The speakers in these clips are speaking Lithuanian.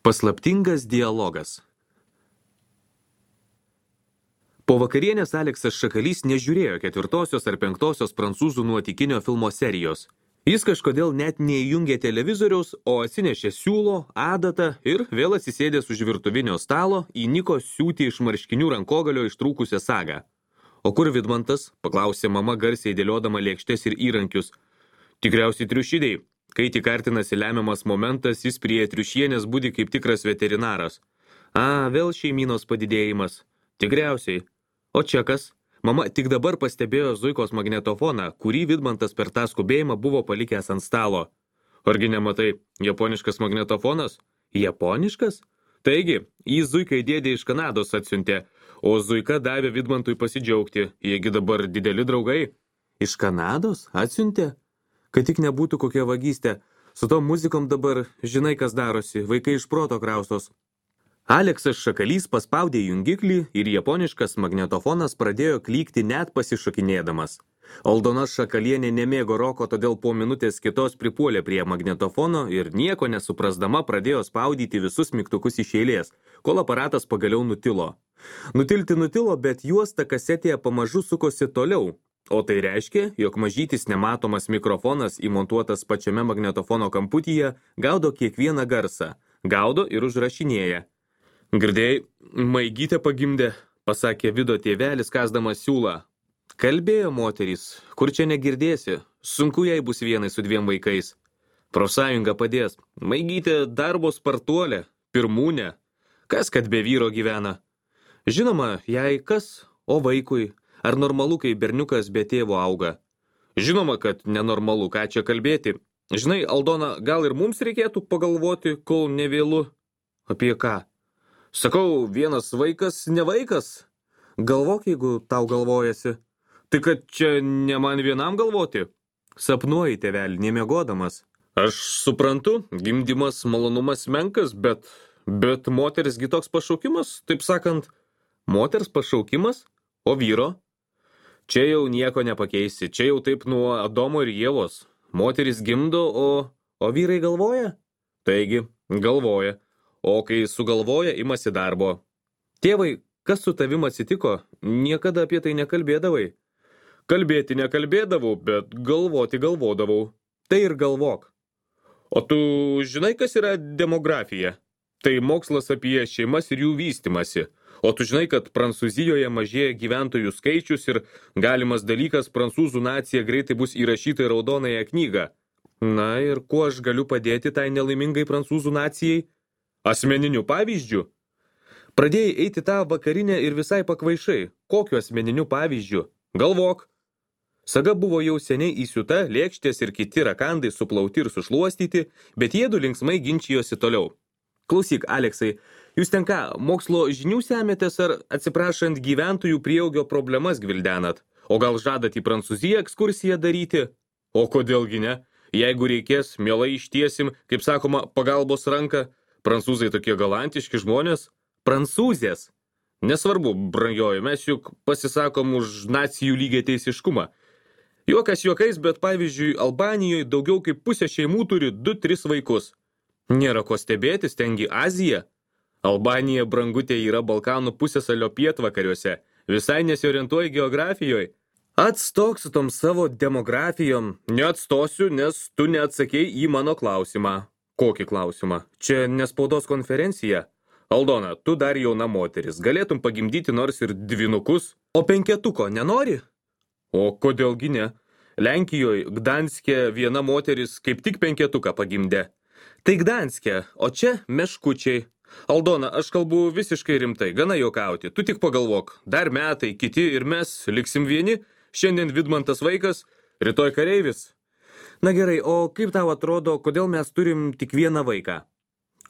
Paslaptingas dialogas. Po vakarienės Aleksas Šakalys nežiūrėjo 4. ar 5. prancūzų nuotykinio filmo serijos. Jis kažkodėl net neįjungė televizoriaus, o atsinešė siūlo, adatą ir vėl atsisėdęs už virtuvinio stalo įniko siūti iš marškinių rankogalio ištrūkusią sagą. O kur Vidmantas? Paklausė mama garsiai dėliodama lėkštes ir įrankius. Tikriausiai triušidei. Kai tik artinasi lemiamas momentas, jis prie triušienės budi kaip tikras veterinaras. Vėl šeimynos padidėjimas. Tikriausiai. O čia kas? Mama tik dabar pastebėjo Zuikos magnetofoną, kurį Vidmantas per tą skubėjimą buvo palikęs ant stalo. Argi nematai, japoniškas magnetofonas? Japoniškas? Taigi, jį Zuikai dėdė iš Kanados atsiuntė, o Zuika davė Vidmantui pasidžiaugti. Jiegi dabar dideli draugai. Iš Kanados atsiuntė? Kad tik nebūtų kokia vagystė. Su tom muzikom dabar žinai, kas darosi, vaikai iš proto kraustos. Aleksas Šakalys paspaudė jungiklį ir japoniškas magnetofonas pradėjo klykti net pasišokinėdamas. Aldona Šakalienė nemėgo roko, todėl po minutės kitos pripuolė prie magnetofono ir nieko nesuprasdama pradėjo spaudyti visus mygtukus iš eilės, kol aparatas pagaliau nutilo. Nutilti nutilo, bet juosta kasetėje pamažu sukosi toliau. O tai reiškia, jog mažytis nematomas mikrofonas įmontuotas pačiame magnetofono kamputyje gaudo kiekvieną garsą, gaudo ir užrašinėja. Girdėjai, Maigytė pagimdė, pasakė Vido tėvelis kasdamas siūlą. Kalbėjo moterys, kur čia negirdėsi, sunku jai bus vienai su 2 vaikais. Profsąjunga padės, Maigytė darbo spartuolė, pirmūnė, kas kad be vyro gyvena. Žinoma, jai kas, o vaikui. Ar normalu, kai berniukas be tėvo auga? Žinoma, kad nenormalu, ką čia kalbėti. Žinai, Aldona, gal ir mums reikėtų pagalvoti, kol nevėlu. Apie ką? Sakau, vienas vaikas, ne vaikas. Galvok, jeigu tau galvojasi. Tai kad čia ne man vienam galvoti. Sapnuoji, tėvelį, nemiegodamas. Aš suprantu, gimdymas malonumas menkas, bet moterisgi toks pašaukimas, taip sakant, moters pašaukimas, o vyro? Čia jau nieko nepakeisi, čia jau taip nuo Adomo ir Ievos. Moteris gimdo, o vyrai galvoja? Taigi, galvoja. O kai sugalvoja, imasi darbo. Tėvai, kas su tavim atsitiko? Niekada apie tai nekalbėdavai. Kalbėti nekalbėdavau, bet galvoti galvodavau. Tai ir galvok. O tu žinai, kas yra demografija? Tai mokslas apie šeimas ir jų vystymasi. O tu žinai, kad Prancūzijoje mažėja gyventojų skaičius ir galimas dalykas prancūzų nacija greitai bus įrašyta į raudonąją knygą. Na ir kuo aš galiu padėti tai nelaimingai prancūzų nacijai? Asmeniniu pavyzdžiu? Pradėjai eiti tą vakarinę ir visai pakvaišai. Kokiu asmeniniu pavyzdžiu? Galvok. Saga buvo jau seniai įsiūta, lėkštės ir kiti rakandai suplauti ir sušluostyti, bet jiedu linksmai ginčijosi toliau. Klausyk, Aleksai, jūs ten ką, mokslo žinių semėtės ar atsiprašant gyventojų prieaugio problemas gvildenat? O gal žadat į Prancūziją ekskursiją daryti? O kodėlgi ne? Jeigu reikės, mielai ištiesim, kaip sakoma, pagalbos ranką. Prancūzai tokie galantiški žmonės. Prancūzės. Nesvarbu, brangioji, mes juk pasisakom už nacijų lygiateisiškumą. Juokas juokais, bet pavyzdžiui, Albanijoje daugiau kaip pusė šeimų turi 2-3 vaikus. Nėra ko stebėtis, tengi Azija. Albanija, brangutė, yra Balkanų pusiasalio pietvakariuose. Visai nesiorientuoji geografijoje. Atstok su tom savo demografijom. Neatstosiu, nes tu neatsakei į mano klausimą. Kokį klausimą? Čia ne spaudos konferencija. Aldona, tu dar jauna moteris. Galėtum pagimdyti nors ir 2. O 5 nenori? O kodėlgi ne? Lenkijoje, Gdanske, viena moteris kaip tik 5 pagimdė. Tai Gdanske, o čia meškučiai. Aldona, aš kalbu visiškai rimtai, gana juokauti. Tu tik pagalvok, dar metai, kiti ir mes liksim vieni. Šiandien Vidmantas vaikas, rytoj kareivis. Na gerai, o kaip tau atrodo, kodėl mes turim tik 1 vaiką?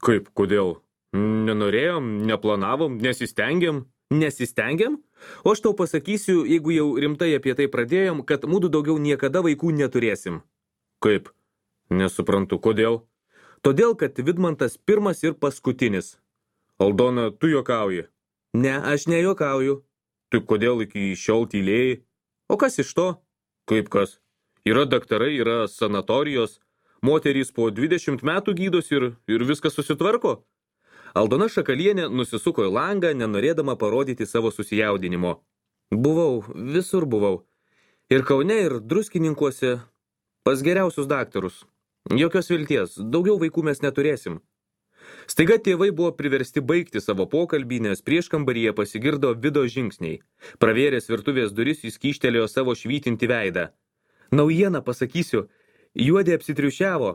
Kaip, kodėl? Nenorėjom, neplanavom, nesistengiam. Nesistengiam? O aš tau pasakysiu, jeigu jau rimtai apie tai pradėjom, kad mūdu daugiau niekada vaikų neturėsim. Kaip? Nesuprantu, kodėl? Todėl, kad Vidmantas pirmas ir paskutinis. Aldona, tu juokauji. Ne, aš nejuokauju. Tai kodėl iki šiol tylėjai? O kas iš to? Kaip kas? Yra daktarai, yra sanatorijos. Moterys po 20 metų gydos ir viskas susitvarko. Aldona Šakalienė nusisuko į langą, nenorėdama parodyti savo susijaudinimo. Buvau, visur buvau. Ir Kaune, ir Druskininkuose, pas geriausius daktarus. Jokios vilties, daugiau vaikų mes neturėsim. Staiga tėvai buvo priversti baigti savo pokalbį, nes prieškambaryje pasigirdo Vido žingsniai. Pravėręs virtuvės duris jis kyštelėjo savo švytinti veidą. Naujieną pasakysiu, Juodė apsitriušiavo.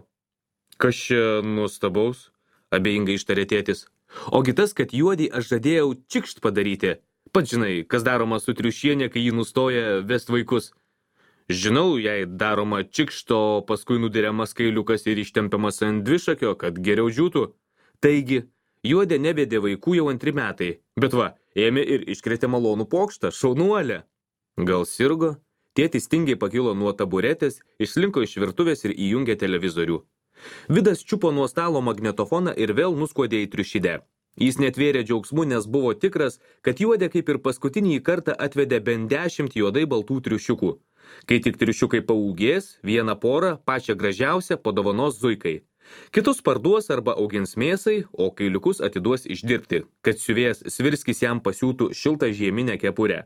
Kas čia nuostabaus? Abejingai ištarė tėtis. Ogi tas, kad Juodį aš žadėjau čikšt padaryti. Pats žinai, kas daroma su triušienė, kai jį nustoja vest vaikus. Žinau, jei daroma čikšto, paskui nudiriamas kailiukas ir ištempiamas ant dvišakio, kad geriau džiūtų. Taigi, Juodė nevedė vaikų jau 2 metai, bet va, ėmė ir iškrėtė malonų pokštą, šaunuolę. Gal sirgo? Tėtis tingiai pakilo nuo taburetės, išslinko iš virtuvės ir įjungė televizorių. Vidas čiupo nuo stalo magnetofoną ir vėl nuskuodė į triušidę. Jis netvėrė džiaugsmu, nes buvo tikras, kad Juodė kaip ir paskutinį kartą atvedė bent 10 juodai baltų triušiukų. Kai tik triušiukai paūgės, vieną porą, pačią gražiausią, padovanos zuikai. Kitus parduos arba augins mėsai, o kailiukus atiduos išdirbti, kad siuvėjas Svirskis jam pasiūtų šiltą žieminę kepurę.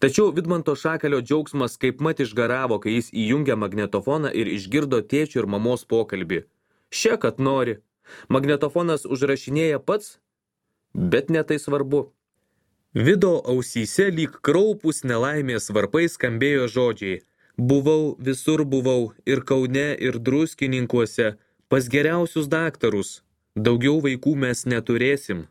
Tačiau Vidmanto Šakalio džiaugsmas kaip mat išgaravo, kai jis įjungė magnetofoną ir išgirdo tėčio ir mamos pokalbį. Še, kad nori. Magnetofonas užrašinėja pats, bet ne tai svarbu. Vido ausyse lyg kraupus nelaimės varpai skambėjo žodžiai. Buvau, visur buvau, ir Kaune, ir Druskininkuose, pas geriausius daktarus. Daugiau vaikų mes neturėsim.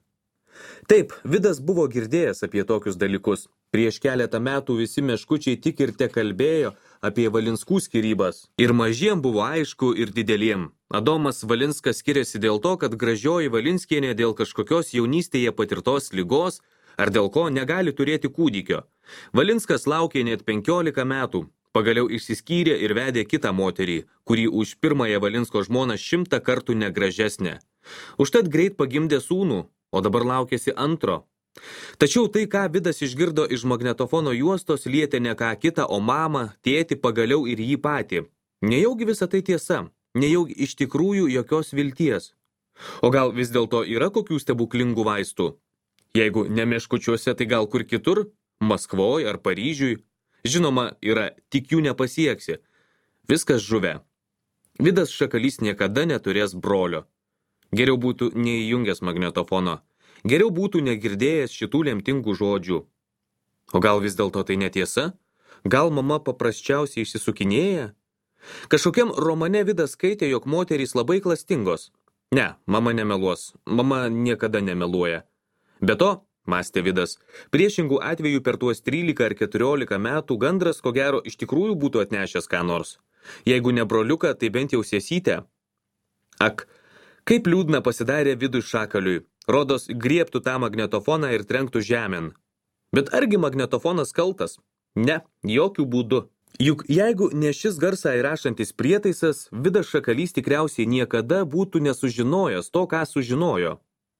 Taip, Vidas buvo girdėjęs apie tokius dalykus. Prieš keletą metų visi meškučiai tik ir te kalbėjo apie Valinskų skyrybas. Ir mažiem buvo aišku, ir dideliem. Adomas Valinskas skiriasi dėl to, kad gražioji Valinskienė dėl kažkokios jaunystėje patirtos ligos ar dėl ko negali turėti kūdikio. Valinskas laukė net 15 metų. Pagaliau išsiskyrė ir vedė kitą moterį, kuri už pirmąją Valinsko žmoną 100 kartų negražesnė. Užtat greit pagimdė sūnų, o dabar laukėsi antro. Tačiau tai, ką Vidas išgirdo iš magnetofono juostos, lietė ne ką kitą, o mamą, tėtį, pagaliau ir jį patį. Nejaugi visa tai tiesa, nejaugi iš tikrųjų jokios vilties. O gal vis dėlto yra kokių stebuklingų vaistų? Jeigu ne meškučiuose, tai gal kur kitur? Maskvoje ar Paryžiui? Žinoma, yra, tik jų nepasieksi. Viskas žuvę. Vidas Šakalys niekada neturės brolio. Geriau būtų neįjungęs magnetofono. Geriau būtų negirdėjęs šitų lemtingų žodžių. O gal vis dėlto tai netiesa? Gal mama paprasčiausiai išsisukinėja? Kažkokiam romane Vidas skaitė, jog moterys labai klastingos. Ne, mama nemeluos. Mama niekada nemeluoja. Be to, mąstė Vidas, priešingų atvejų per tuos 13 ar 14 metų gandras ko gero iš tikrųjų būtų atnešęs ką nors. Jeigu ne broliuką, tai bent jau sesytę. Ak, kaip liūdna pasidarė Vidui Šakaliui. Rodos, griebtų tą magnetofoną ir trenktų žemėn. Bet argi magnetofonas kaltas? Ne, jokių būdų. Juk jeigu ne šis garsą įrašantis prietaisas, Vidas Šakalys tikriausiai niekada būtų nesužinojęs to, ką sužinojo.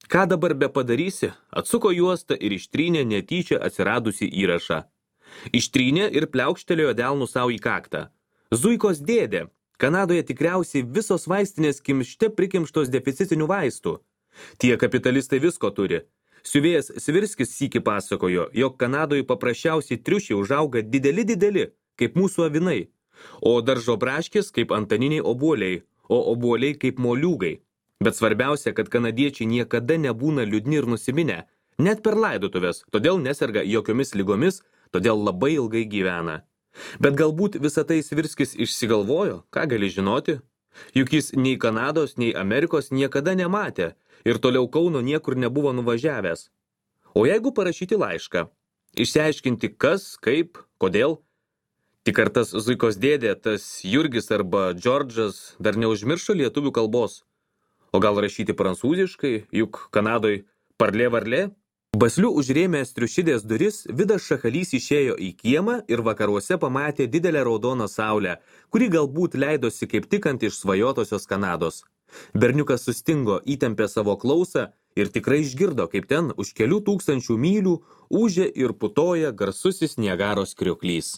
Ką dabar be padarysi? Atsuko juostą ir ištrynė netyčia atsiradusi įrašą. Ištrynė ir pliaukštelėjo delnų savo į kaktą. Zuikos dėdė. Kanadoje tikriausiai visos vaistinės kimšte prikimštos deficitinių vaistų. Tie kapitalistai visko turi. Siuvėjas Svirskis sykį pasakojo, jog Kanadoje paprasčiausiai triušiai užauga dideli, kaip mūsų avinai, o daržo braškės kaip antaniniai obuoliai, o obuoliai kaip moliūgai. Bet svarbiausia, kad kanadiečiai niekada nebūna liūdni ir nusiminę, net per laidotuvės, todėl neserga jokiomis ligomis, todėl labai ilgai gyvena. Bet galbūt visą tai Svirskis išsigalvojo, ką gali žinoti? Juk jis nei Kanados, nei Amerikos niekada nematė ir toliau Kauno niekur nebuvo nuvažiavęs. O jeigu parašyti laišką, išsiaiškinti kas, kaip, kodėl? Tik ar tas Zuikos dėdė, tas Jurgis arba Džordžas dar neužmiršo lietuvių kalbos? O gal rašyti prancūziškai, juk Kanadoj parlė varlė? Basliu užrėmęs triušidės duris, Vidas Šakalys išėjo į kiemą ir vakaruose pamatė didelę raudoną saulę, kuri galbūt leidosi kaip tik ant išsvajotosios Kanados. Berniukas sustingo, įtempė savo klausą ir tikrai išgirdo, kaip ten už kelių tūkstančių mylių ūžė ir putoja garsusis Niagaros krioklys.